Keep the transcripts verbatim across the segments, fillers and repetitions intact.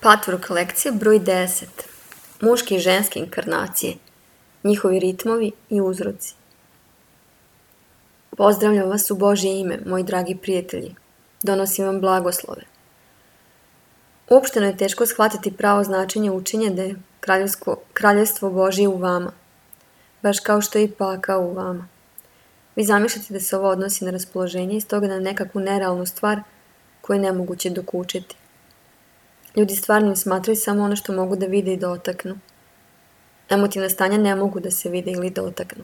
Patvork lekcija broj deset. Muške i ženske inkarnacije, njihovi ritmovi i uzroci. Pozdravljam vas u Božje ime, moji dragi prijatelji. Donosim vam blagoslove. Uopšteno je teško shvatiti pravo značenje učenja da je kraljevstvo Božje u vama, baš kao što je i pakao u vama. Vi zamišljate da se ovo odnosi na raspoloženje i stoga na nekakvu nerealnu stvar koju je nemoguće dokučiti. Ljudi stvarnim smatraju samo ono što mogu da vide i dotaknu. Emotivna stanja ne mogu da se vide ili dotaknu.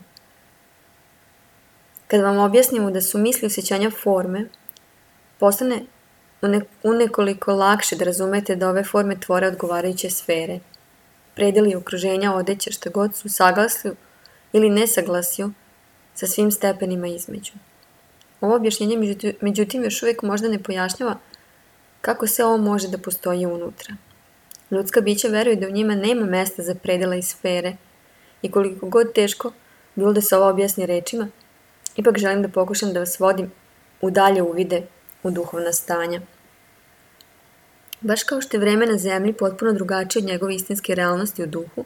Kad vam objasnimo da su misli osjećanja forme, postane unekoliko lakše da razumete da ove forme tvore odgovarajuće sfere. Predeli okruženja, odeća, šta god su saglasju ili nesaglasju sa svim stepenima između. Ovo objašnjenje međutim još uvijek možda ne pojašnjava kako se ovo može da postoji unutra. Ljudska bića veruju da u njima nema mesta za predela i sfere i koliko god teško bilo da se ovo objasni rečima, ipak želim da pokušam da vas vodim u dalje uvide u duhovna stanja. Baš kao što je vreme na zemlji potpuno drugačije od njegove istinske realnosti u duhu,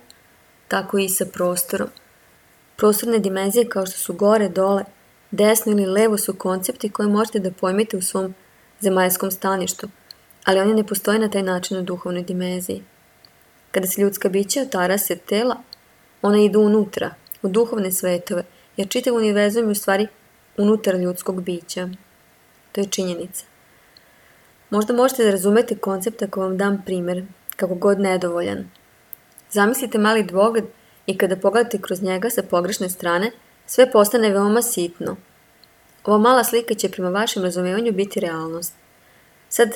tako i sa prostorom. Prostorne dimenzije kao što su gore, dole, desno ili levo su koncepti koje možete da pojmite u svom zemaljskom staništu, ali oni ne postoje na taj način u duhovnoj dimenziji. Kada se ljudska bića otarase tela, ona idu unutra, u duhovne svetove, jer čitav univerzum je u stvari unutar ljudskog bića. To je činjenica. Možda možete da razumete koncept ako vam dam primjer, kako god nedovoljan. Zamislite mali dvogled i kada pogledate kroz njega sa pogrešne strane, sve postane veoma sitno. Ova mala slika će prema vašem razumevanju biti realnost. Sad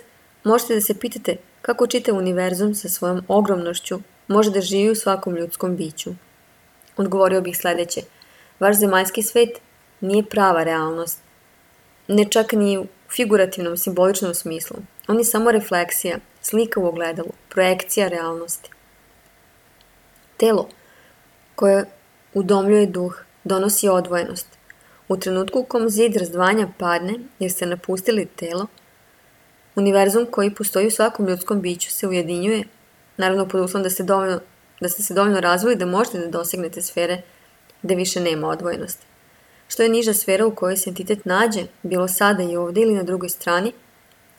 možete da se pitate kako čitav univerzum sa svojom ogromnošću može da živi u svakom ljudskom biću. Odgovorio bih sljedeće. Vaš zemaljski svet nije prava realnost. Ne čak ni u figurativnom, simboličnom smislu. On je samo refleksija, slika u ogledalu, projekcija realnosti. Telo koje udomljuje duh donosi odvojenost. U trenutku u kom zid razdvajanja padne, jer ste napustili telo, univerzum koji postoji u svakom ljudskom biću se ujedinjuje, naravno pod uslovom da ste, dovoljno, da ste se dovoljno razvili da možete da dosegnete sfere gde više nema odvojenosti. Što je niža sfera u kojoj se entitet nađe, bilo sada i ovdje ili na drugoj strani,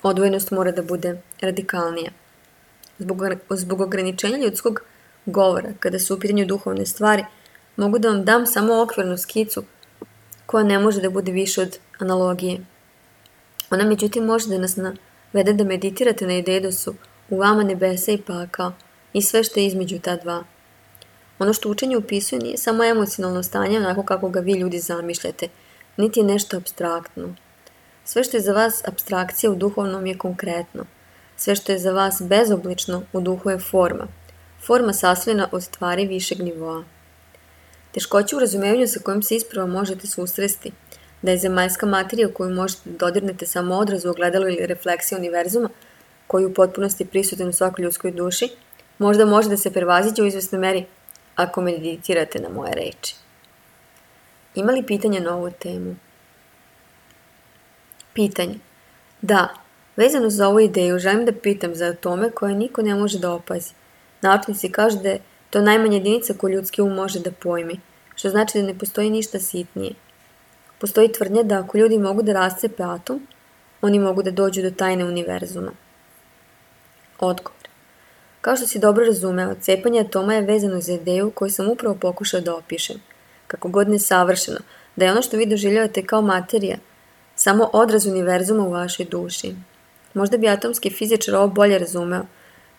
odvojenost mora da bude radikalnija. Zbog, zbog ograničenja ljudskog govora, kada su u pitanju duhovne stvari, mogu da vam dam samo okvirnu skicu koja ne može da bude više od analogije. Ona međutim može da nas navede da meditirate na ideju da su u vama nebesa i pakao i sve što je između ta dva. Ono što učenje upisuje nije samo emocionalno stanje onako kako ga vi ljudi zamišljate, niti je nešto apstraktno. Sve što je za vas apstrakcija u duhovnom je konkretno. Sve što je za vas bezoblično u duhu je forma. Forma sastavljena od stvari višeg nivoa. Teškoće u razumevanju sa kojim se isprava možete susresti, da je zemaljska materija koju možete da dodirnete samo odraz u ogledalu ili refleksiju univerzuma, koji je u potpunosti prisutan u svakoj ljudskoj duši, možda može da se prevaziđe u izvesnoj meri ako meditirate na moje reči. Ima li pitanja na ovu temu? Pitanje. Da, vezano za ovu ideju želim da pitam za atome koje niko ne može da opazi. Naučnici kažu da je to najmanja jedinica koju ljudski um može da pojmi, što znači da ne postoji ništa sitnije. Postoji tvrdnja da ako ljudi mogu da rascepe atom, oni mogu da dođu do tajne univerzuma. Odgovor. Kao što si dobro razumeo, cepanje atoma je vezano za ideju koju sam upravo pokušao da opišem, kako god nesavršeno, da je ono što vi doživljavate kao materija samo odraz univerzuma u vašoj duši. Možda bi atomski fizičar ovo bolje razumeo,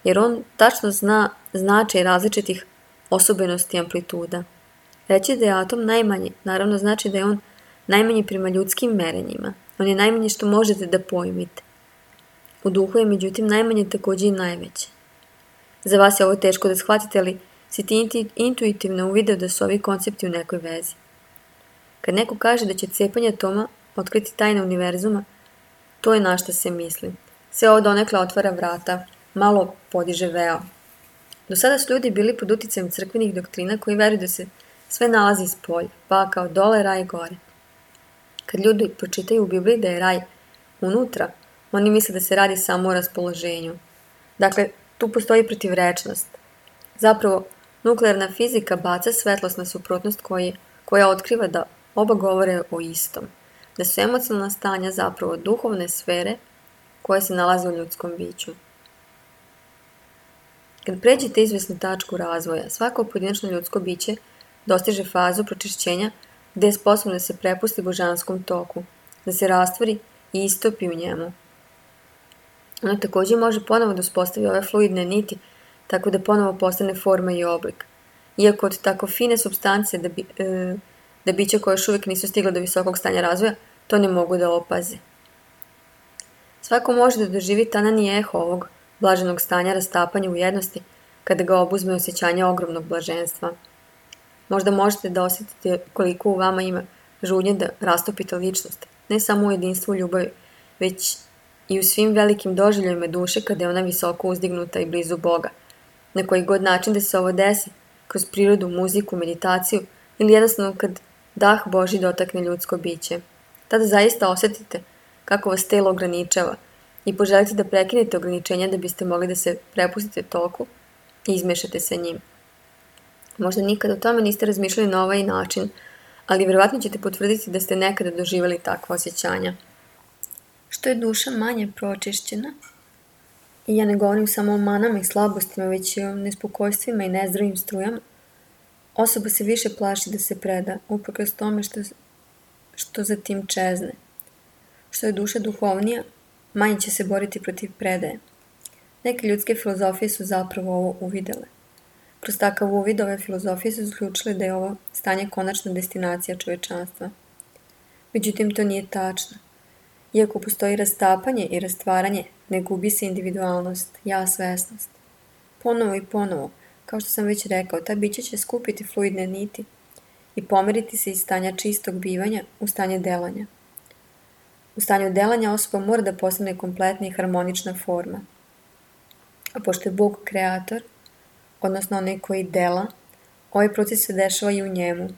jer on tačno zna značaj različitih osobenosti i amplituda. Reći da je atom najmanji, naravno znači da je on najmanji prema ljudskim merenjima. On je najmanje što možete da pojmite. U duhu je međutim najmanje također i najveće. Za vas je ovo teško da shvatite, ali si ti intuitivno uvideo da su ovi koncepti u nekoj vezi. Kad neko kaže da će cepanje atoma otkriti tajne univerzuma, to je na šta se misli. Sve ovo donekle otvara vrata, malo podiže veo. Do sada su ljudi bili pod uticajem crkvenih doktrina koji veruju da se sve nalazi iz polja, pa kao dole, raj gore. Kad ljudi pročitaju u Bibliji da je raj unutra, oni misle da se radi samo o raspoloženju. Dakle, Tu postoji protivrečnost. Zapravo, nuklearna fizika baca svetlost na suprotnost koji, koja otkriva da oba govore o istom, da su emocionalna stanja zapravo duhovne sfere koje se nalaze u ljudskom biću. Kad pređete izvesnu tačku razvoja, svako pojedinačno ljudsko biće dostiže fazu pročišćenja gde je sposobno da se prepusti božanskom toku, da se rastvori i istopi u njemu. Ono također može ponovo da uspostavi ove fluidne niti, tako da ponovo postane forma i oblik. Iako od tako fine supstance da, bi, e, da bića koje još uvijek nisu stigla do visokog stanja razvoja, to ne mogu da opaze. Svako može da doživi tanan i eho ovog blaženog stanja rastapanja u jednosti kada ga obuzme osjećanje ogromnog blaženstva. Možda možete da osjetite koliko u vama ima žudnje da rastopite ličnost, ne samo u jedinstvu ljubavi, već i u svim velikim doživljajima duše kada je ona visoko uzdignuta i blizu Boga. Na koji god način da se ovo desi, kroz prirodu, muziku, meditaciju ili jednostavno kad dah Božji dotakne ljudsko biće. Tada zaista osjetite kako vas telo ograničava i poželite da prekinete ograničenja da biste mogli da se prepustite toku i izmešate sa njim. Možda nikada o tome niste razmišljali na ovaj način, ali vjerovatno ćete potvrditi da ste nekada doživjeli takva osjećanja. Što je duša manje pročišćena, i ja ne govorim samo o manama i slabostima, već i o nespokojstvima i nezdravim strujama, osoba se više plaši da se preda, uprkos tome što, što za tim čezne. Što je duša duhovnija, manje će se boriti protiv predaje. Neke ljudske filozofije su zapravo ovo uvidele. Kroz takav uvid ove filozofije su zaključile da je ovo stanje konačna destinacija čovečanstva. Međutim, to nije tačno. Iako postoji rastapanje i rastvaranje, ne gubi se individualnost, ja svesnost. Ponovo i ponovo, kao što sam već rekao, ta bića će skupiti fluidne niti i pomeriti se iz stanja čistog bivanja u stanje delanja. U stanju delanja osoba mora da postane kompletna i harmonična forma. A pošto je Bog kreator, odnosno onaj koji dela, ovaj proces se dešava i u njemu.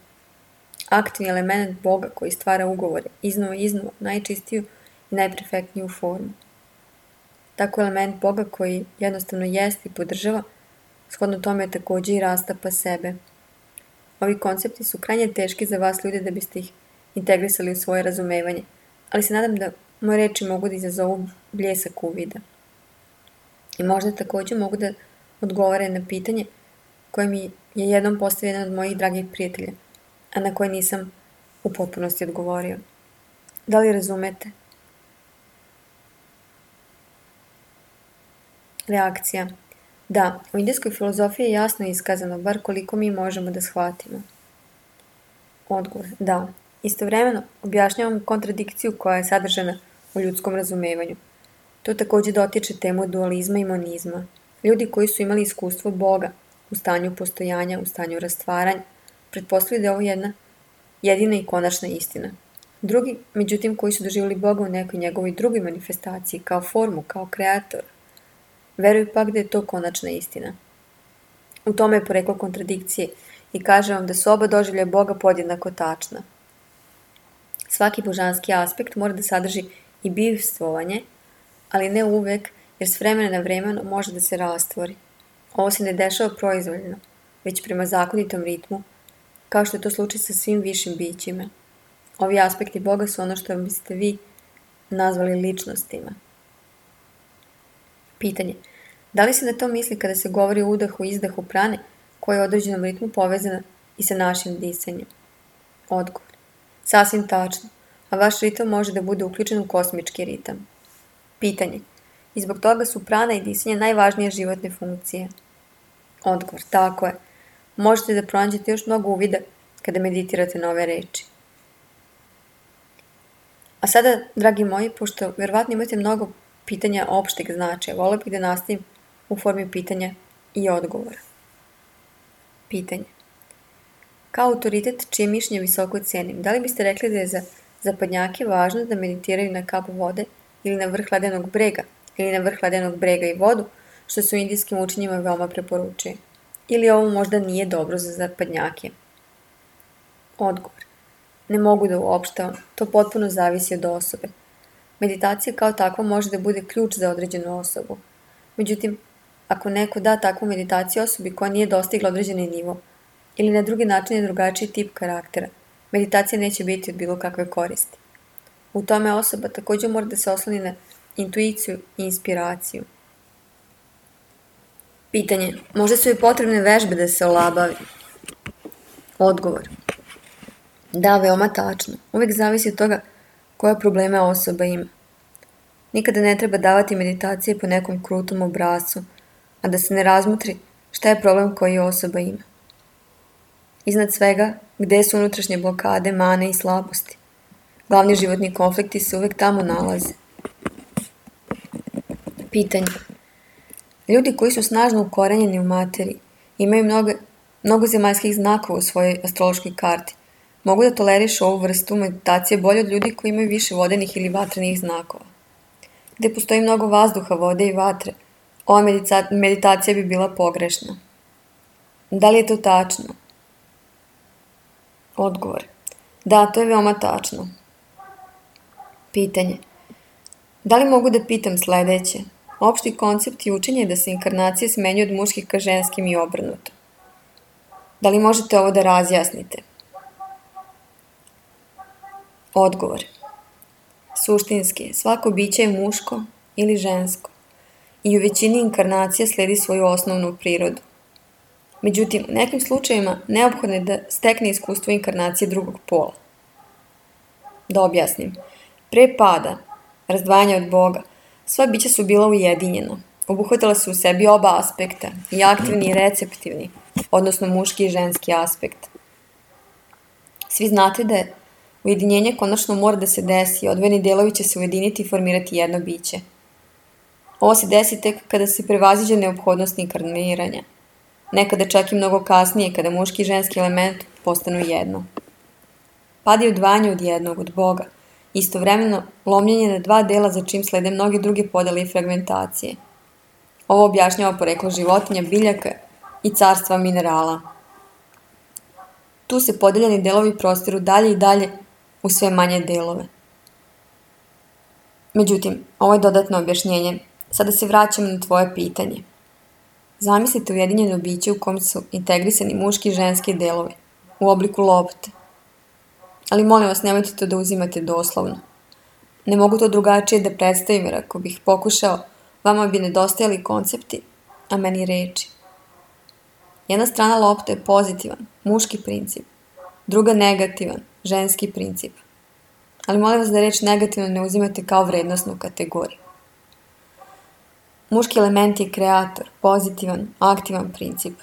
Aktivni element Boga koji stvara ugovore, iznova i iznova, najčistiju i najperfektniju formu. Tako element Boga koji jednostavno jeste i podržava, shodno tome je također i rastapa sebe. Ovi koncepti su krajnje teški za vas ljude da biste ih integrisali u svoje razumevanje, ali se nadam da moje reči mogu da izazovu bljesak uvida. I možda također mogu da odgovore na pitanje koje mi je jednom postavio jedan od mojih dragih prijatelja, a na koje nisam u potpunosti odgovorio. Da li razumete? Reakcija. Da, u indijskoj filozofiji je jasno iskazano, bar koliko mi možemo da shvatimo. Odgovor. Da. Istovremeno objašnjavam kontradikciju koja je sadržana u ljudskom razumevanju. To također dotiče temu dualizma i monizma. Ljudi koji su imali iskustvo Boga u stanju postojanja, u stanju rastvaranja, pretpostavljaju da je ovo jedna jedina i konačna istina. Drugi, međutim, koji su doživjeli Boga u nekoj njegovoj drugoj manifestaciji, kao formu, kao kreator, veruju pak da je to konačna istina. U tome je poreklo kontradikcije i kaže vam da su oba doživljaja Boga podjednako tačna. Svaki božanski aspekt mora da sadrži i bivstvovanje, ali ne uvek, jer s vremena na vremena može da se rastvori. Ovo se ne dešava proizvoljno, već prema zakonitom ritmu, kao što je to slučaj sa svim višim bićima. Ovi aspekti Boga su ono što biste vi nazvali ličnostima. Pitanje. Da li se na to misli kada se govori o udahu i izdahu prane, koja je u određenom ritmu povezana i sa našim disanjem? Odgovor. Sasvim tačno, a vaš ritam može da bude uključen u kosmički ritam. Pitanje. I zbog toga su prana i disanje najvažnije životne funkcije. Odgovor. Tako je. Možete da pronađete još mnogo uvida kada meditirate na ove reči. A sada, dragi moji, pošto vjerovatno imate mnogo pitanja opšteg značaja, volio bih da nastavim u formi pitanja i odgovora. Pitanje. Kao autoritet čije mišljenje visoko cenim, da li biste rekli da je za zapadnjake važno da meditiraju na kap vode ili na vrh ledenog brega, ili na vrh ledenog brega i vodu, što se u indijskim učenjima veoma preporučuje? Ili ovo možda nije dobro za zapadnjake? Odgovor. Ne mogu da uopštavam, to potpuno zavisi od osobe. Meditacija kao takva može da bude ključ za određenu osobu. Međutim, ako neko da takvu meditaciju osobi koja nije dostigla određeni nivo ili na drugi način je drugačiji tip karaktera, meditacija neće biti od bilo kakve koristi. U tome osoba također mora da se osloni na intuiciju i inspiraciju. Pitanje. Možda su joj potrebne vežbe da se olabavi? Odgovor. Da, veoma tačno. Uvijek zavisi od toga koje probleme osoba ima. Nikada ne treba davati meditacije po nekom krutom obrascu, a da se ne razmotri šta je problem koji osoba ima. Iznad svega, gde su unutrašnje blokade, mane i slabosti. Glavni životni konflikti se uvijek tamo nalaze. Pitanje. Ljudi koji su snažno ukorenjeni u materiji, imaju mnogo, mnogo zemaljskih znakova u svojoj astrološkoj karti, mogu da tolerišu ovu vrstu meditacije bolje od ljudi koji imaju više vodenih ili vatrenih znakova. Gde postoji mnogo vazduha, vode i vatre, ova medica- meditacija bi bila pogrešna. Da li je to tačno? Odgovor. Da, to je veoma tačno. Pitanje. Da li mogu da pitam sledeće? Opšti koncept i učenje je da se inkarnacije smenjuju od muških ka ženskim i obrnuto. Da li možete ovo da razjasnite? Odgovor. Suštinski, svako biće je muško ili žensko i u većini inkarnacija sledi svoju osnovnu prirodu. Međutim, u nekim slučajevima neophodno je da stekne iskustvo inkarnacije drugog pola. Da objasnim. Pre pada, razdvajanja od Boga, sva bića su bila ujedinjena. Obuhvatila su u sebi oba aspekta, i aktivni i receptivni, odnosno muški i ženski aspekt. Svi znate da je ujedinjenje konačno mora da se desi i odvojeni delovi će se ujediniti i formirati jedno biće. Ovo se desi tek kada se prevaziđe neophodnost inkarniranja. Nekada čak i mnogo kasnije, kada muški i ženski element postanu jedno. Pad je odvajanje od jednog, od Boga, istovremeno lomljenje na dva dela za čim slede mnoge druge podele i fragmentacije. Ovo objašnjava poreklo životinja, biljaka i carstva minerala. Tu se podeljeni delovi prostiru dalje i dalje u sve manje delove. Međutim, ovo je dodatno objašnjenje. Sada se vraćamo na tvoje pitanje. Zamislite ujedinjeno biće u kom su integrisani muški i ženski delovi, u obliku lopte. Ali molim vas, nemojte to da uzimate doslovno. Ne mogu to drugačije da predstavim, jer ako bih pokušao, vama bi nedostajali koncepti, a meni reči. Jedna strana lopte je pozitivan, muški princip, druga negativan, ženski princip. Ali molim vas da reč negativno ne uzimate kao vrednosnu kategoriju. Muški element je kreator, pozitivan, aktivan princip.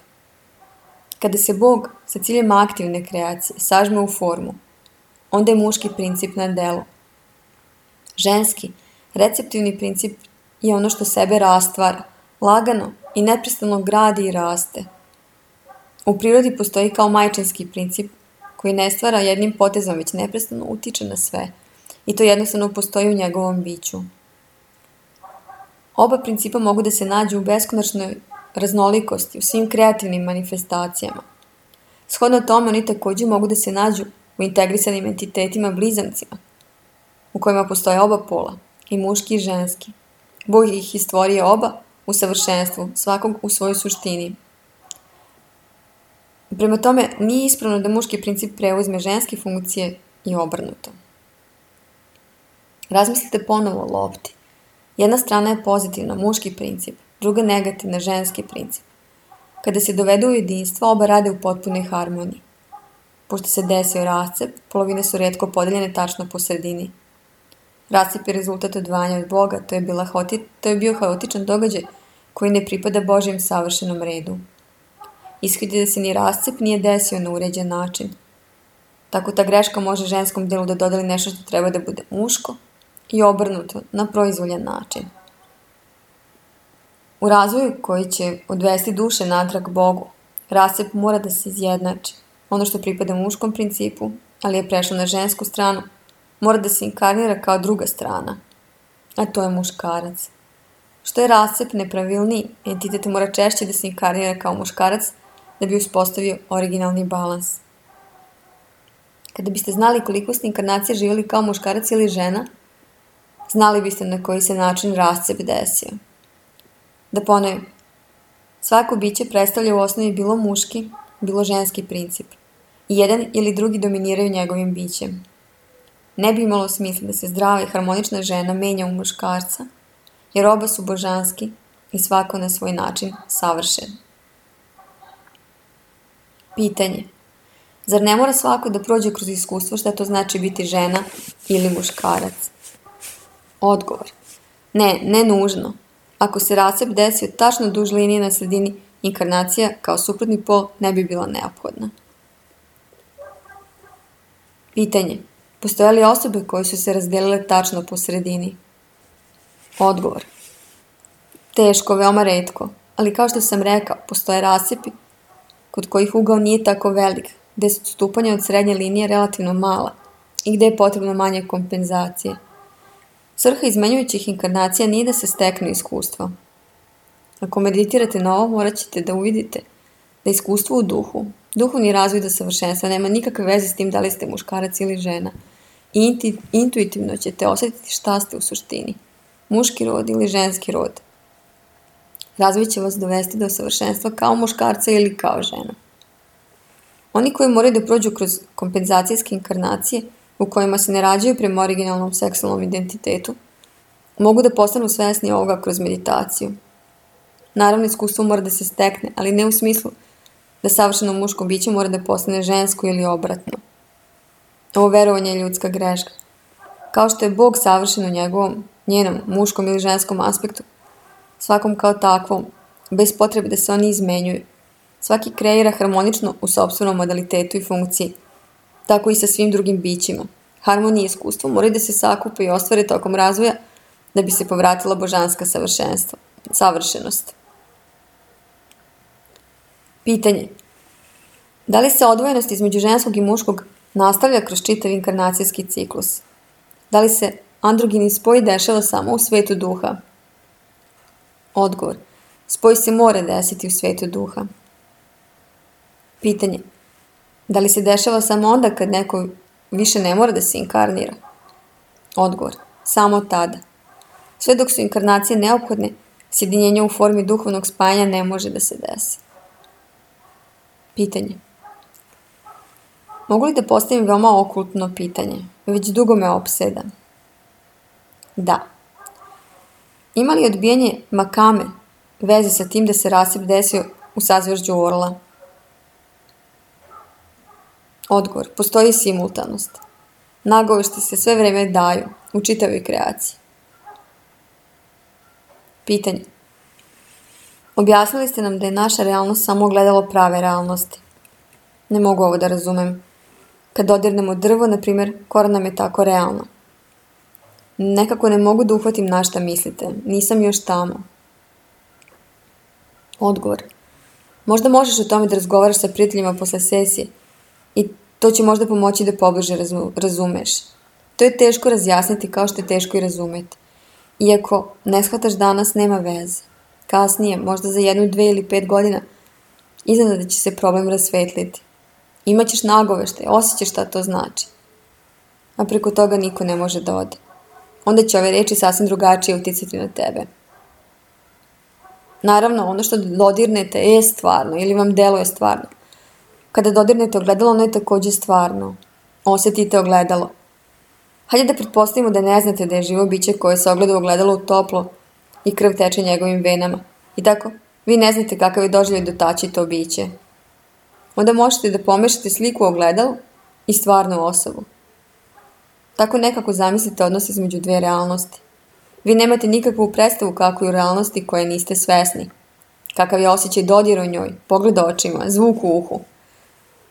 Kada se Bog sa ciljem aktivne kreacije sažme u formu, onda je muški princip na delu. Ženski, receptivni princip je ono što sebe rastvara, lagano i neprestano gradi i raste. U prirodi postoji kao majčinski princip koji ne stvara jednim potezom, već neprestano utiče na sve i to jednostavno postoji u njegovom biću. Oba principa mogu da se nađu u beskonačnoj raznolikosti, u svim kreativnim manifestacijama. Shodno tome, oni također mogu da se nađu u integrisanim entitetima blizancima, u kojima postoje oba pola, i muški i ženski. Bog ih je stvorio oba u savršenstvu, svakog u svojoj suštini. Prema tome, nije ispravno da muški princip preuzme ženske funkcije i obrnuto. Razmislite ponovo o lopti. Jedna strana je pozitivna, muški princip, druga negativna, ženski princip. Kada se dovedu u jedinstvo, oba rade u potpunoj harmoniji. Pošto se desio rascep, polovine su retko podeljene tačno po sredini. Rascep je rezultat odvajanja od Boga, to je, bila hoti, to je bio haotičan događaj koji ne pripada Božjem savršenom redu. Ishodi da se ni rascep nije desio na uređen način. Tako ta greška može ženskom delu da dodeli nešto što treba da bude muško i obrnuto na proizvoljan način. U razvoju koji će odvesti duše natrag Bogu, rascep mora da se izjednači. Ono što pripada muškom principu, ali je prešlo na žensku stranu, mora da se inkarnira kao druga strana, a to je muškarac. Što je rascep nepravilniji, entitet mora češće da se inkarnira kao muškarac da bi uspostavio originalni balans. Kada biste znali koliko ste inkarnacije živjeli kao muškarac ili žena, znali biste na koji se način rascep desio. Da ponovim, Svako biće predstavlja u osnovi bilo muški, bilo ženski princip. I jedan ili drugi dominiraju njegovim bićem. Ne bi imalo smisla da se zdrava i harmonična žena menja u muškarca, jer oba su božanski i svako na svoj način savršen. Pitanje. Zar ne mora svako da prođe kroz iskustvo šta to znači biti žena ili muškarac? Odgovor. Ne, ne nužno. Ako se rascep desio tačno duž linije na sredini, inkarnacija kao suprotni pol ne bi bila neophodna. Pitanje. Postoje li osobe koje su se razdelile tačno po sredini? Odgovor. Teško, veoma retko, ali kao što sam rekao, postoje rascepi kod kojih ugao nije tako velik, gde su odstupanja od srednje linije relativno mala i gde je potrebno manje kompenzacije. Svrha izmenjujućih inkarnacija nije da se stekne iskustvo. Ako meditirate na ovo, morat ćete da uvidite da iskustvo u duhu, duhovni razvoj do savršenstva nema nikakve veze s tim da li ste muškarac ili žena. I intuitivno ćete osjetiti šta ste u suštini, muški rod ili ženski rod. Razvoj će vas dovesti do savršenstva kao muškarca ili kao žena. Oni koji moraju da prođu kroz kompenzacijske inkarnacije, u kojima se ne rađaju prema originalnom seksualnom identitetu, mogu da postanu svesni ovoga kroz meditaciju. Naravno, iskustvo mora da se stekne, ali ne u smislu da savršeno muško biće mora da postane žensko ili obratno. Ovo verovanje je ljudska greška. Kao što je Bog savršen u njegovom, njenom, muškom ili ženskom aspektu, svakom kao takvom, bez potrebe da se oni izmenjuju. Svaki kreira harmonično u sopstvenom modalitetu i funkciji, tako i sa svim drugim bićima. Harmonija i iskustvo moraju da se sakupe i ostvare tokom razvoja da bi se povratila božanska savršenstva, savršenost. Pitanje. Da li se odvojenost između ženskog i muškog nastavlja kroz čitav inkarnacijski ciklus? Da li se androgini spoj dešava samo u svetu duha? Odgovor. Spoj se mora desiti u svetu duha. Pitanje. Da li se dešava samo onda kad neko više ne mora da se inkarnira? Odgovor. Samo tada. Sve dok su inkarnacije neophodne, sjedinjenje u formi duhovnog spajanja ne može da se desi. Pitanje. Mogu li da postavim veoma okultno pitanje? Već dugo me opseda. Da. Ima li odbijanje makame veze sa tim da se rascep desio u sazvežđu orla? Odgovor. Postoji simultanost. Nagovešti se sve vreme daju u čitavoj kreaciji. Pitanje. Objasnili ste nam da je naša realnost samo ogledalo prave realnosti. Ne mogu ovo da razumem. Kad dodirnemo drvo, na primjer, koran nam je tako realno. Nekako ne mogu da uhvatim na šta mislite. Nisam još tamo. Odgovor. Možda možeš o tome da razgovaraš sa prijateljima posle sesije i to će možda pomoći da pobliže razumeš. To je teško razjasniti kao što je teško i razumeti. Iako ne shvataš danas, nema veze. Kasnije, možda za jednu, dve ili pet godina, iznenada će se problem rasvetliti. Imaćeš nagovešte, osjećaš šta to znači. A preko toga niko ne može da ode. Onda će ove reči sasvim drugačije uticati na tebe. Naravno, ono što dodirnete je stvarno ili vam deluje stvarno. Kada dodirnete ogledalo, ono je takođe stvarno. Osjetite ogledalo. Hajde da pretpostavimo da ne znate da je živo biće koje se ogleda u ogledalo u toplo i krv teče njegovim venama. I tako, vi ne znate kakav je doživljaj dotaći to biće. Onda možete da pomešate sliku u ogledalu i stvarnu osobu. Tako nekako zamislite odnos između dve realnosti. Vi nemate nikakvu predstavu kako je u realnosti koje niste svesni. Kakav je osjećaj dodira u njoj, pogled očima, zvuk u uhu.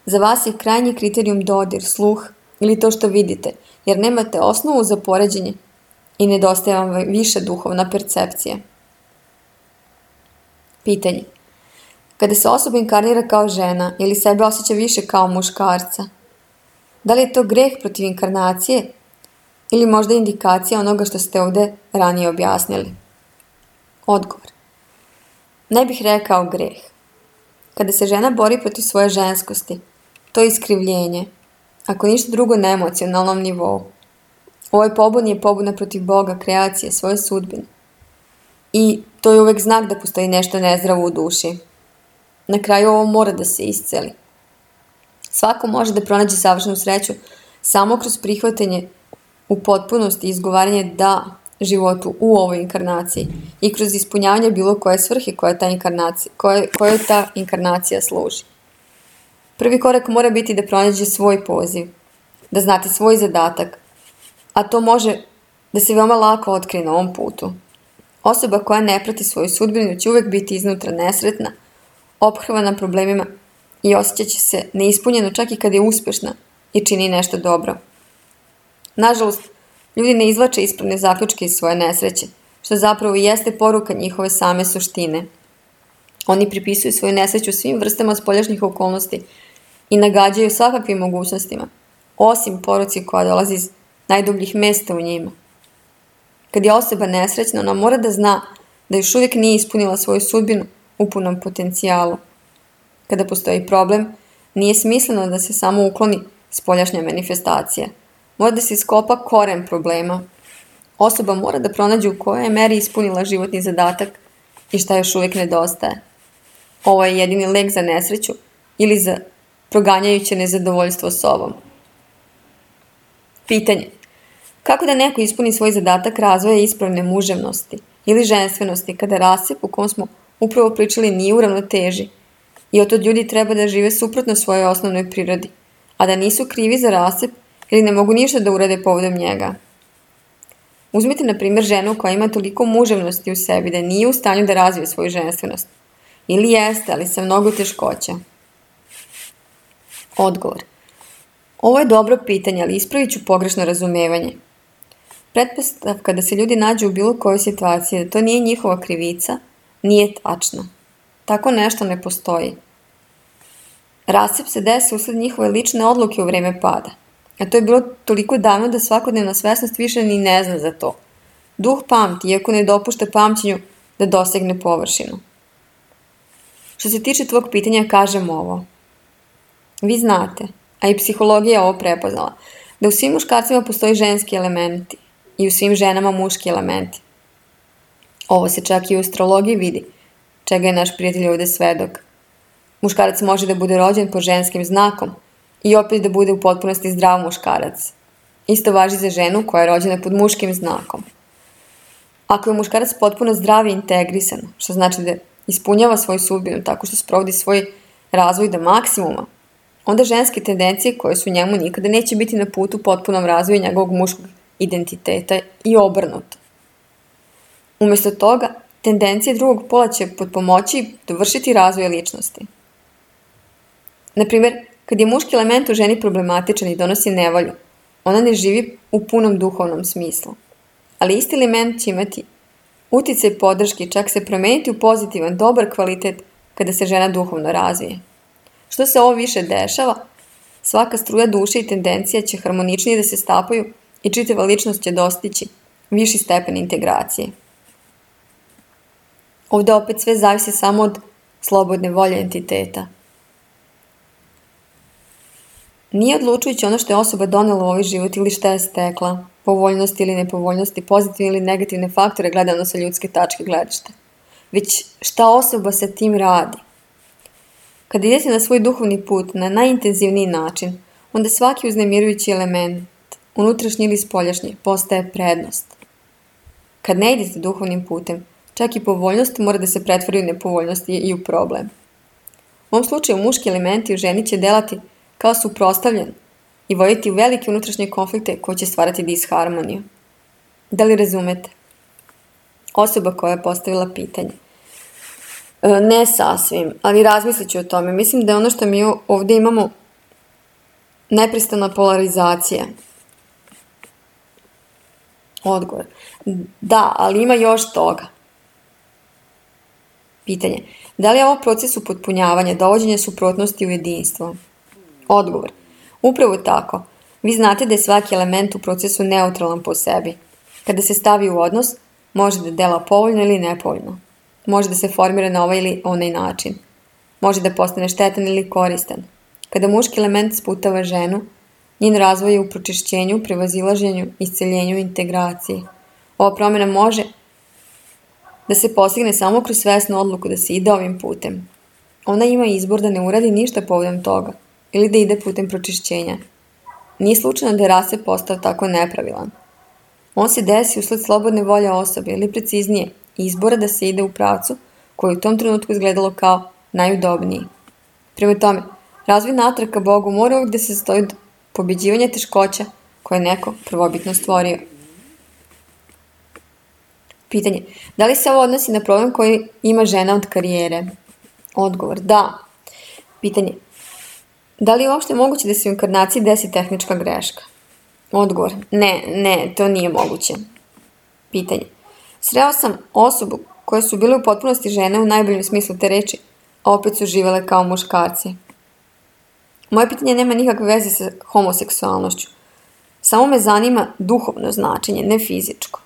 Za vas je krajnji kriterijum dodir, sluh ili to što vidite, jer nemate osnovu za poređenje i nedostaje vam više duhovna percepcija. Pitanje. Kada se osoba inkarnira kao žena ili sebe osjeća više kao muškarca, da li je to greh protiv inkarnacije ili možda indikacija onoga što ste ovde ranije objasnili? Odgovor. Ne bih rekao greh. Kada se žena bori protiv svoje ženskosti, to je iskrivljenje, ako ništa drugo na emocionalnom nivou. Ovaj pobun je pobuna protiv Boga, kreacije, svoje sudbine. I To je uvek znak da postoji nešto nezdravo u duši. Na kraju ovo mora da se isceli. Svako može da pronađe savršenu sreću samo kroz prihvatanje u potpunosti i izgovaranje da životu u ovoj inkarnaciji i kroz ispunjavanje bilo koje svrhe koja ta inkarnacija, koje, koje ta inkarnacija služi. Prvi korak mora biti da pronađe svoj poziv, da znate svoj zadatak, a to može da se veoma lako otkrije na ovom putu. Osoba koja ne prati svoju sudbinu će uvek biti iznutra nesretna, ophrvana problemima i osjećat će se neispunjeno čak i kad je uspešna i čini nešto dobro. Nažalost, ljudi ne izvlače ispravne zaključke iz svoje nesreće, što zapravo i jeste poruka njihove same suštine. Oni pripisuju svoju nesreću svim vrstama spoljašnjih okolnosti i nagađaju svakakvim mogućnostima, osim poruci koja dolazi iz najdubljih mesta u njima. Kad je osoba nesrećna, ona mora da zna da još uvijek nije ispunila svoju sudbinu u punom potencijalu. Kada postoji problem, nije smisleno da se samo ukloni spoljašnja manifestacija. Mora da se iskopa koren problema. Osoba mora da pronađe u kojoj je meri ispunila životni zadatak i šta još uvijek nedostaje. Ovo je jedini lek za nesreću ili za proganjajuće nezadovoljstvo sobom. Pitanje. Kako da neko ispuni svoj zadatak razvoja ispravne muževnosti ili ženstvenosti kada rascep u kom smo upravo pričali nije u ravnoteži i otod ljudi treba da žive suprotno svojoj osnovnoj prirodi, a da nisu krivi za rascep ili ne mogu ništa da urade povodom njega. Uzmite, na primjer, ženu koja ima toliko muževnosti u sebi da nije u stanju da razvije svoju ženstvenost. Ili jeste, ali sa mnogo teškoća. Odgovor. Ovo je dobro pitanje, ali ispravit ću pogrešno razumevanje. Pretpostavka da se ljudi nađu u bilo kojoj situaciji, da to nije njihova krivica, nije tačno. Tako nešto ne postoji. Rascep se desi usled njihove lične odluke u vreme pada. A to je bilo toliko davno da svakodnevna svesnost više ni ne zna za to. Duh pamti, iako ne dopušta pamćenju da dosegne površinu. Što se tiče tvog pitanja, kažem ovo. Vi znate, a i psihologija je ovo prepoznala, da u svim muškarcima postoji ženski elementi i u svim ženama muški elementi. Ovo se čak i u astrologiji vidi, čega je naš prijatelj ovdje svedok. Muškarac može da bude rođen po ženskim znakom i opet da bude u potpunosti zdrav muškarac. Isto važi za ženu koja je rođena pod muškim znakom. Ako je muškarac potpuno zdrav i integrisan, što znači da ispunjava svoju sudbinu tako što sprovodi svoj razvoj do maksimuma, onda ženske tendencije koje su u njemu nikada neće biti na putu potpunom razvoju njegovog muškog identiteta i obrnuto. Umjesto toga, tendencije drugog pola će potpomoći dovršiti razvoj ličnosti. Naprimjer, kad je muški element u ženi problematičan i donosi nevolju, ona ne živi u punom duhovnom smislu. Ali isti element će imati uticaj podrške, čak se promeniti u pozitivan, dobar kvalitet kada se žena duhovno razvije. Što se ovo više dešava, svaka struja duše i tendencija će harmoničnije da se stapaju i čitava ličnost će dostići viši stepen integracije. Ovdje opet sve zavisi samo od slobodne volje entiteta. Nije odlučujući ono što je osoba donela u ovaj život ili šta je stekla, povoljnosti ili nepovoljnosti, pozitivne ili negativne faktore gledano sa ljudske tačke gledišta, već šta osoba sa tim radi. Kad idete na svoj duhovni put na najintenzivniji način, onda svaki uznemirujući element, unutrašnji ili spoljašnji, postaje prednost. Kad ne idete duhovnim putem, čak i povoljnost mora da se pretvori u nepovoljnost i u problem. U ovom slučaju muški elementi u ženi će delati kao suprotstavljen i voditi u velike unutrašnje konflikte koji će stvarati disharmoniju. Da li razumete? Osoba koja je postavila pitanje. E, ne sasvim, ali razmislit ću o tome. Mislim da je ono što mi ovdje imamo neprestana polarizacija. Odgovor. Da, ali ima još toga. Pitanje. Da li je ovo proces upotpunjavanja, dovođenja suprotnosti u jedinstvo? Odgovor. Upravo tako. Vi znate da je svaki element u procesu neutralan po sebi. Kada se stavi u odnos, može da dela povoljno ili nepovoljno. Može da se formira na ovaj ili onaj način. Može da postane štetan ili koristan. Kada muški element sputava ženu, njen razvoj je u pročišćenju, prevazilaženju, isceljenju i integraciji. Ova promjena može da se postigne samo kroz svesnu odluku da se ide ovim putem. Ona ima izbor da ne uradi ništa povodom toga ili da ide putem pročišćenja. Nije slučajno da je rase postao tako nepravilan. On se desi usled slobodne volje osobe ili preciznije izbora da se ide u pravcu koji je u tom trenutku izgledalo kao najudobniji. Prema tome, razvoj natrag ka Bogu mora uvijek da se sastoji od pobjeđivanja teškoća koje je neko prvobitno stvorio. Pitanje. Da li se ovo odnosi na problem koji ima žena od karijere? Odgovor. Da. Pitanje. Da li je uopšte moguće da se u inkarnaciji desi tehnička greška? Odgovor. Ne, ne, to nije moguće. Pitanje. Sreo sam osobu koje su bile u potpunosti žene u najboljem smislu te reči, a opet su živele kao muškarci. Moje pitanje nema nikakve veze sa homoseksualnošću. Samo me zanima duhovno značenje, ne fizičko.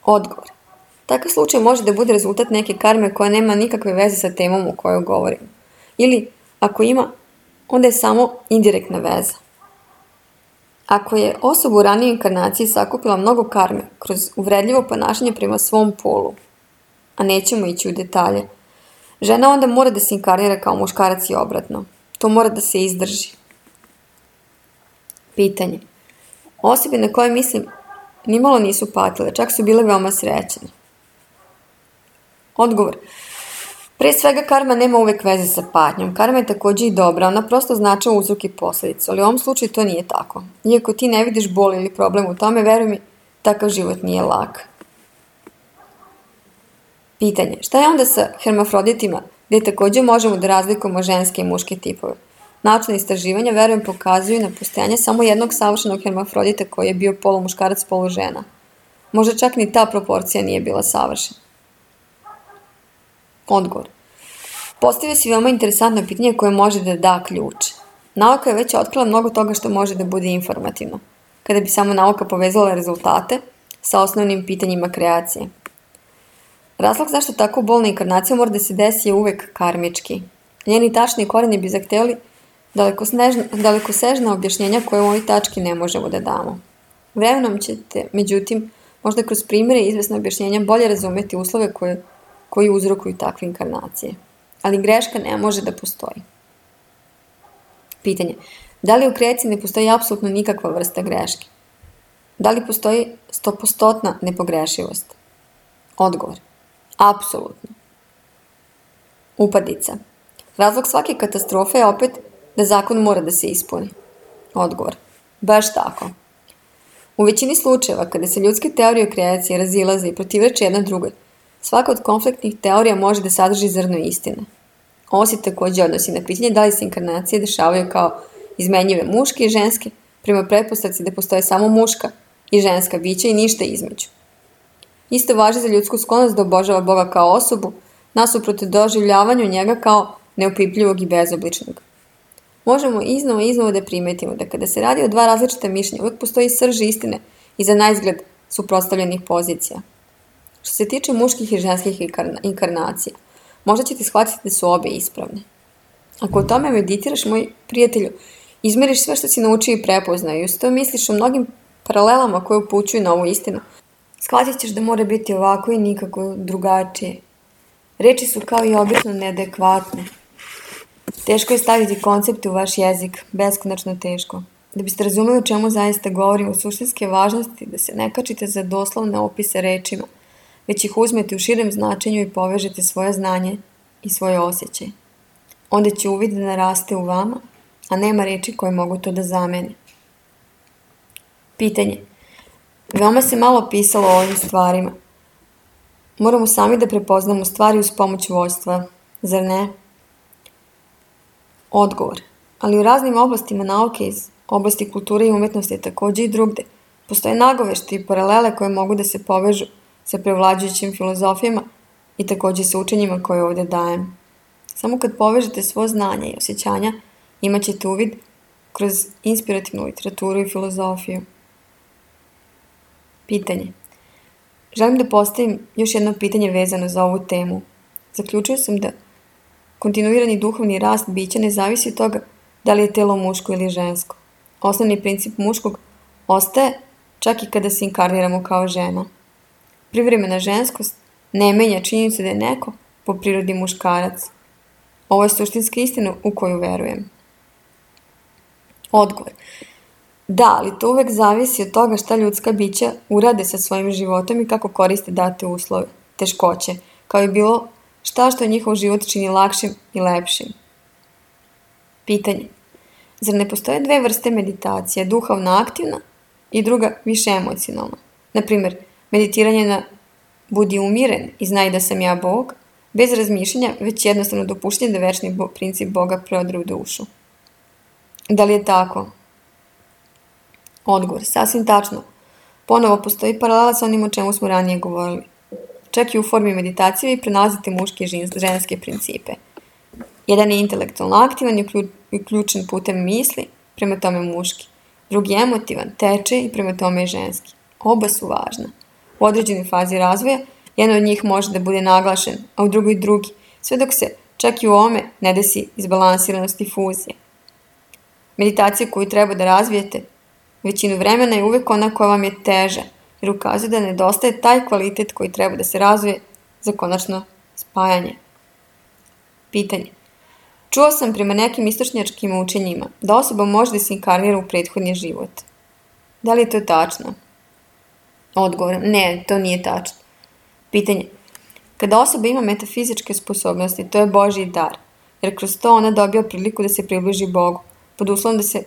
Odgovor. Takav slučaj može da bude rezultat neke karme koja nema nikakve veze sa temom o kojoj govorimo. Ili, ako ima, onda je samo indirektna veza. Ako je osoba u ranijoj inkarnaciji sakupila mnogo karme kroz uvredljivo ponašanje prema svom polu, a nećemo ići u detalje, žena onda mora da se inkarnira kao muškarac i obratno. To mora da se izdrži. Pitanje. Osobe na koje mislim nimalo nisu patile, čak su bile veoma srećene. Odgovor. Prije svega, karma nema uvek veze sa patnjom. Karma je također i dobra, ona prosto značava uzrok i posljedicu, ali u ovom slučaju to nije tako. Iako ti ne vidiš bol ili problem u tome, veruj mi, takav život nije lak. Pitanje. Šta je onda sa hermafroditima, gdje također možemo da razlikujemo ženske i muške tipove? Naučna istraživanja, verujem, pokazuju na postojanje samo jednog savršenog hermafrodita koji je bio polumuškarac, polužena. Možda čak ni ta proporcija nije bila savršena. Odgovor. Postavio si veoma interesantno pitanje koje može da da ključ. Nauka je već otkrila mnogo toga što može da bude informativno, kada bi samo nauka povezala rezultate sa osnovnim pitanjima kreacije. Razlog zašto tako bolna inkarnacija mora da se desi je uvek karmički. Njeni tačni koreni bi zahtevali dalekosežna objašnjenja koje u ovoj tački ne možemo da damo. Vremenom ćete, međutim, možda kroz primjere i izvesna objašnjenja bolje razumeti uslove koje, koji uzrokuju takve inkarnacije. Ali greška ne može da postoji. Pitanje. Da li u kreaciji ne postoji apsolutno nikakva vrsta greške? Da li postoji stopostotna nepogrešivost? Odgovor. Apsolutno. Upadica. Razlog svake katastrofe je opet da zakon mora da se ispuni. Odgovor. Baš tako. U većini slučajeva, kada se ljudske teorije o kreaciji razilaze i protivreče jedna drugoj, svaka od konfliktnih teorija može da sadrži zrno istine. Ovo se također odnosi na pitanje da li se inkarnacije dešavaju kao izmenjive muške i ženske, prema pretpostavci da postoje samo muška i ženska bića i ništa između. Isto važi za ljudsku sklonost da obožava Boga kao osobu, nasuprot doživljavanju njega kao neopipljivog i bezobličnog. Možemo iznova i iznova da primetimo da kada se radi o dva različita mišljenja, uvijek postoji srž istine iza naizgled suprotstavljenih pozicija. Što se tiče muških i ženskih inkarnacija, možda ćete shvatiti da su obe ispravne. Ako o tome meditiraš, moj prijatelju, izmeriš sve što si naučio i prepoznao i uz to misliš o mnogim paralelama koje upućuju na ovu istinu, shvatit ćeš da mora biti ovako i nikako drugačije. Reči su kao i obično neadekvatne. Teško je staviti koncepte u vaš jezik, beskonačno teško. Da biste razumeli o čemu zaista govorim, u suštinske važnosti da se ne kačite za doslovne opise rečima, već ih uzmete u širem značenju i povežete svoje znanje i svoje osjećaje. Onda će uvid da naraste u vama, a nema reči koje mogu to da zamene. Pitanje. Veoma se malo pisalo o ovim stvarima. Moramo sami da prepoznamo stvari uz pomoć vojstva, zar ne? Odgovor. Ali u raznim oblastima nauke iz oblasti kulture i umetnosti također i drugde postoje nagovešti i paralele koje mogu da se povežu sa prevlađujućim filozofijama i također sa učenjima koje ovdje dajem. Samo kad povežete svo znanje i osjećanja, imat ćete uvid kroz inspirativnu literaturu i filozofiju. Pitanje. Želim da postavim još jedno pitanje vezano za ovu temu. Zaključio sam da kontinuirani duhovni rast bića ne zavisi od toga da li je telo muško ili žensko. Osnovni princip muškog ostaje čak i kada se inkarniramo kao žena. Privremena ženskost ne menja činjenicu da je neko po prirodi muškarac. Ovo je suštinska istina u koju verujem. Odgovor. Da, ali to uvek zavisi od toga šta ljudska bića urade sa svojim životom i kako koriste date uslove, teškoće, kao i bilo šta što njihov život čini lakšim i lepšim. Pitanje. Zar ne postoje dve vrste meditacije, duhovno aktivna i druga više emocionalna? Naprimjer, meditiranje na budi umiren i znaj da sam ja Bog, bez razmišljanja, već jednostavno dopuštenje da večni princip Boga prodre u dušu. Da li je tako? Odgovor. Sasvim tačno. Ponovo postoji paralela sa onim o čemu smo ranije govorili. Čak i u formi meditacije vi prenalazite muške i ženske principe. Jedan je intelektualno aktivan i uključen putem misli, prema tome muški. Drugi je emotivan, teče i prema tome je ženski. Oba su važna. U određenoj fazi razvoja jedan od njih može da bude naglašen, a u drugoj drugi, sve dok se čak i u ovome ne desi izbalansiranost i fuzija. Meditacija koju treba da razvijete većinu vremena je uvek ona koja vam je teža, jer ukazuje da nedostaje taj kvalitet koji treba da se razvije za konačno spajanje. Pitanje. Čuo sam prema nekim istočnjačkim učenjima da osoba može da se inkarnira u prethodni život. Da li je to tačno? Odgovor. Ne, to nije tačno. Pitanje. Kada osoba ima metafizičke sposobnosti, to je Božji dar, jer kroz to ona dobija priliku da se približi Bogu, pod uslovom da se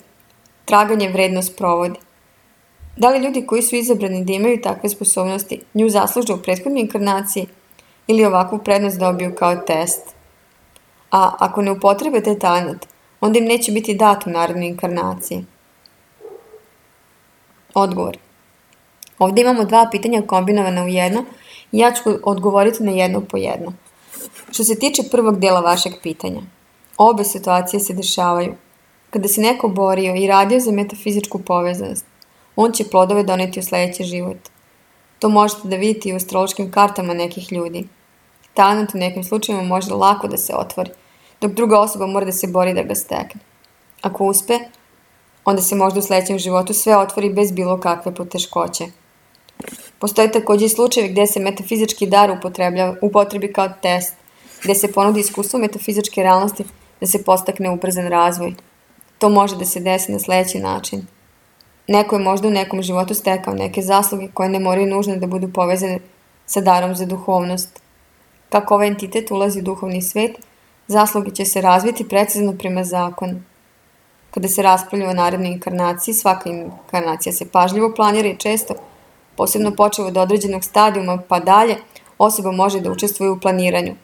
traganje vredno sprovodi. Da li ljudi koji su izabrani da imaju takve sposobnosti nju zasluže u prethodnoj inkarnaciji ili ovakvu prednost dobiju kao test? A ako ne upotrebe taj talent, onda im neće biti dat u narednoj inkarnaciji. Odgovor. Ovdje imamo dva pitanja kombinovana u jedno i ja ću odgovoriti na jedno po jedno. Što se tiče prvog dela vašeg pitanja, obe situacije se dešavaju. Kada se neko borio i radio za metafizičku povezanost, on će plodove doneti u sljedeći život. To možete da vidite i u astrološkim kartama nekih ljudi. Talent u nekim slučajima može lako da se otvori, dok druga osoba mora da se bori da ga stekne. Ako uspe, onda se možda u sljedećem životu sve otvori bez bilo kakve poteškoće. Postoje također i slučajevi gdje se metafizički dar upotrebi kao test, gdje se ponudi iskustvo metafizičke realnosti da se postakne ubrzan razvoj. To može da se desi na sljedeći način. Neko je možda u nekom životu stekao neke zasluge koje ne moraju nužno da budu povezane sa darom za duhovnost. Kako ovaj entitet ulazi u duhovni svet, zasluge će se razviti precizno prema zakonu. Kada se raspravlja o narednoj inkarnaciji, svaka inkarnacija se pažljivo planira i često, posebno počev od određenog stadijuma pa dalje, osoba može da učestvuje u planiranju.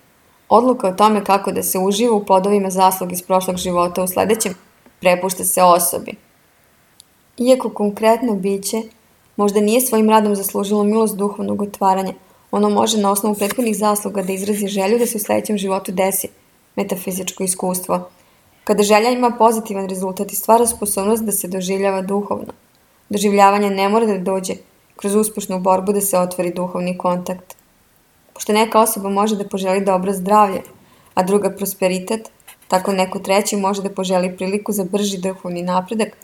Odluka o tome kako da se uživa u plodovima zasluga iz prošlog života u sljedećem prepušta se osobi. Iako konkretno biće možda nije svojim radom zaslužilo milost duhovnog otvaranja, ono može na osnovu prethodnih zasluga da izrazi želju da se u sljedećem životu desi metafizičko iskustvo. Kada želja ima pozitivan rezultat i stvara sposobnost da se doživljava duhovno. Doživljavanje ne mora da dođe kroz uspješnu borbu da se otvori duhovni kontakt. Pošto neka osoba može da poželi dobro zdravlje, a druga prosperitet, tako neko treći može da poželi priliku za brži duhovni napredak,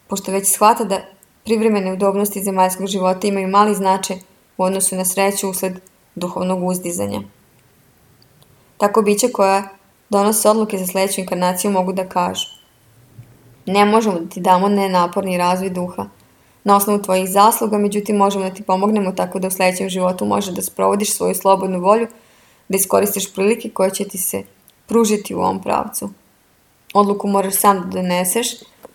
pošto već shvata da privremene udobnosti zemaljskog života imaju mali značaj u odnosu na sreću usled duhovnog uzdizanja. Tako bića koja donose odluke za sljedeću inkarnaciju mogu da kažu: ne možemo da ti damo nenaporni razvoj duha na osnovu tvojih zasluga, međutim možemo da ti pomognemo tako da u sljedećem životu možeš da sprovodiš svoju slobodnu volju, da iskoristiš prilike koje će ti se pružiti u ovom pravcu. Odluku moraš sam da doneseš,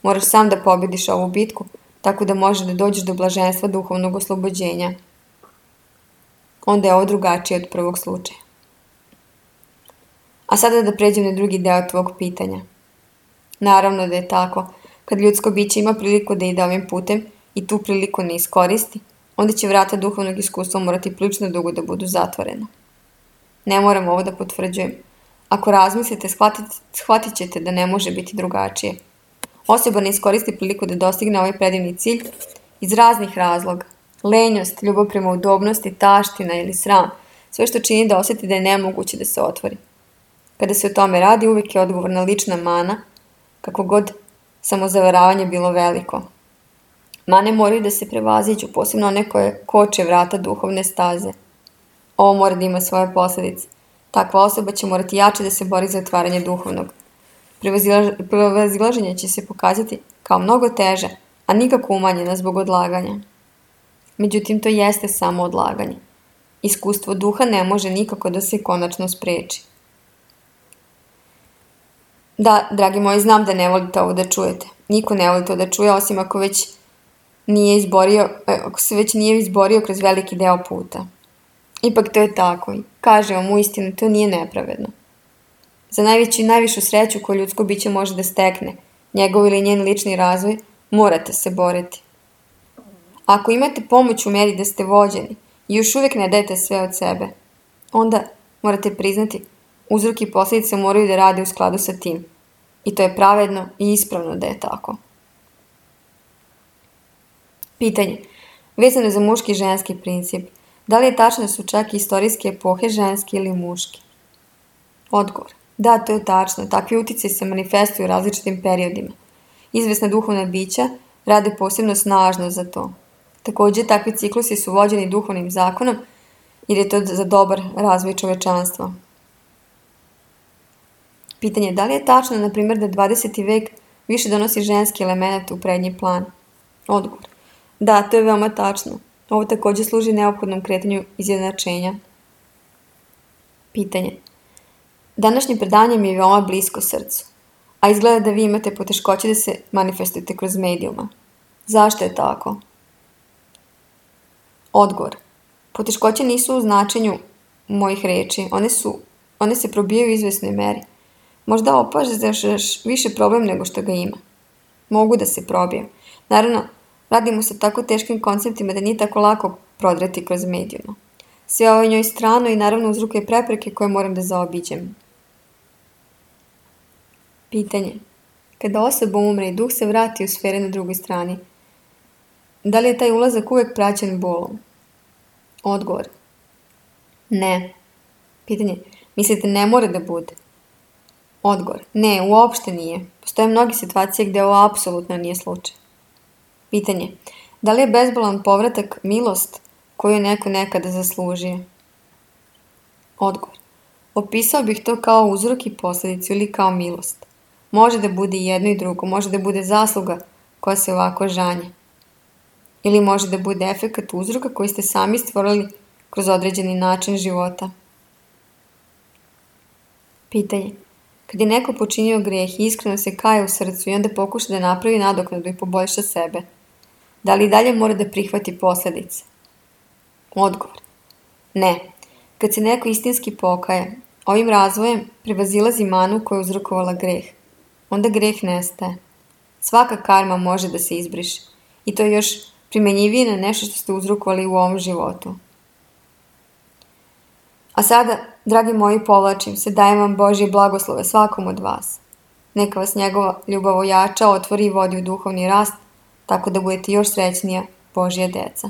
moraš sam da pobjediš ovu bitku, tako da možeš da dođeš do blaženstva duhovnog oslobođenja. Onda je ovo drugačije od prvog slučaja. A sada da pređem na drugi deo tvog pitanja. Naravno da je tako. Kad ljudsko biće ima priliku da ide ovim putem i tu priliku ne iskoristi, onda će vrata duhovnog iskustva morati prilično dugo da budu zatvorena. Ne moram ovo da potvrđujem. Ako razmislite, shvatit, shvatit ćete da ne može biti drugačije. Osoba ne iskoristi priliku da dostigne ovaj predivni cilj iz raznih razloga. Lenjost, ljubav prema udobnosti, taština ili sram, sve što čini da osjeti da je nemoguće da se otvori. Kada se o tome radi, uvijek je odgovorna lična mana, kako god samozavaravanje bilo veliko. Mane moraju da se prevaziđu, posebno one koje koče vrata duhovne staze. Ovo mora da ima svoje posljedice. Takva osoba će morati jače da se bori za otvaranje duhovnog. Prevazilaženje će se pokazati kao mnogo teže, a nikako umanjena zbog odlaganja. Međutim, to jeste samo odlaganje. Iskustvo duha ne može nikako da se konačno spreči. Da, dragi moji, znam da ne volite ovo da čujete. Niko ne voli to da čuje, osim ako već nije izborio, ako se već nije izborio kroz veliki deo puta. Ipak to je tako i kaže vam uistinu, to nije nepravedno. Za najveću i najvišu sreću koju ljudsko biće može da stekne, njegov ili njen lični razvoj, morate se boriti. Ako imate pomoć u meri da ste vođeni i još uvijek ne dajete sve od sebe, onda morate priznati, uzrok i posljedice moraju da rade u skladu sa tim. I to je pravedno i ispravno da je tako. Pitanje. Vezano za muški i ženski princip. Da li je tačno da su čak i istorijske epohe ženski ili muški? Odgovor. Da, to je tačno. Takvi uticaji se manifestuju u različitim periodima. Izvesna duhovna bića rade posebno snažno za to. Također, takvi ciklusi su vođeni duhovnim zakonom jer je to za dobar razvoj čovečanstva. Pitanje. Da li je tačno, na primjer, da dvadeseti vek više donosi ženski element u prednji plan? Odgovor. Da, to je veoma tačno. Ovo također služi neophodnom kretanju izjednačenja. Pitanje. Današnje predanje mi je veoma blisko srcu, a izgleda da vi imate poteškoće da se manifestujete kroz medijuma. Zašto je tako? Odgovor. Poteškoće nisu u značenju mojih reči, one, su, one se probijaju u izvesnoj meri. Možda opažaš više problem nego što ga ima. Mogu da se probijem. Naravno, radimo se tako teškim konceptima da nije tako lako prodrati kroz medijuma. Sve ovo je njoj strano i naravno uzrokuje prepreke koje moram da zaobiđem. Pitanje. Kada osoba umre i duh se vrati u sfere na drugoj strani, da li je taj ulazak uvijek praćen bolom? Odgovor. Ne. Pitanje. Mislite ne mora da bude? Odgovor. Ne, uopšte nije. Postoje mnoge situacije gdje ovo apsolutno nije slučaj. Pitanje. Da li je bezbolan povratak milost koju je neko nekada zaslužio? Odgovor. Opisao bih to kao uzrok i posljedicu ili kao milost. Može da bude i jedno i drugo. Može da bude zasluga koja se ovako žanje. Ili može da bude efekat uzroka koji ste sami stvorili kroz određeni način života. Pitanje. Kad je neko počinio grijeh i iskreno se kaje u srcu i onda pokuša da napravi nadoknadu i poboljša sebe, da li i dalje mora da prihvati posljedice? Odgovor. Ne. Kad se neko istinski pokaje, ovim razvojem prevazilazi manu koja je uzrokovala greh. Onda greh nestaje. Svaka karma može da se izbriše. I to je još primenjivije na nešto što ste uzrokovali u ovom životu. A sada, dragi moji, povlačim se, dajem vam Božje blagoslove svakom od vas. Neka vas njegova ljubav ojača, otvori i vodi u duhovni rast, tako da budete još srećnija Božja deca.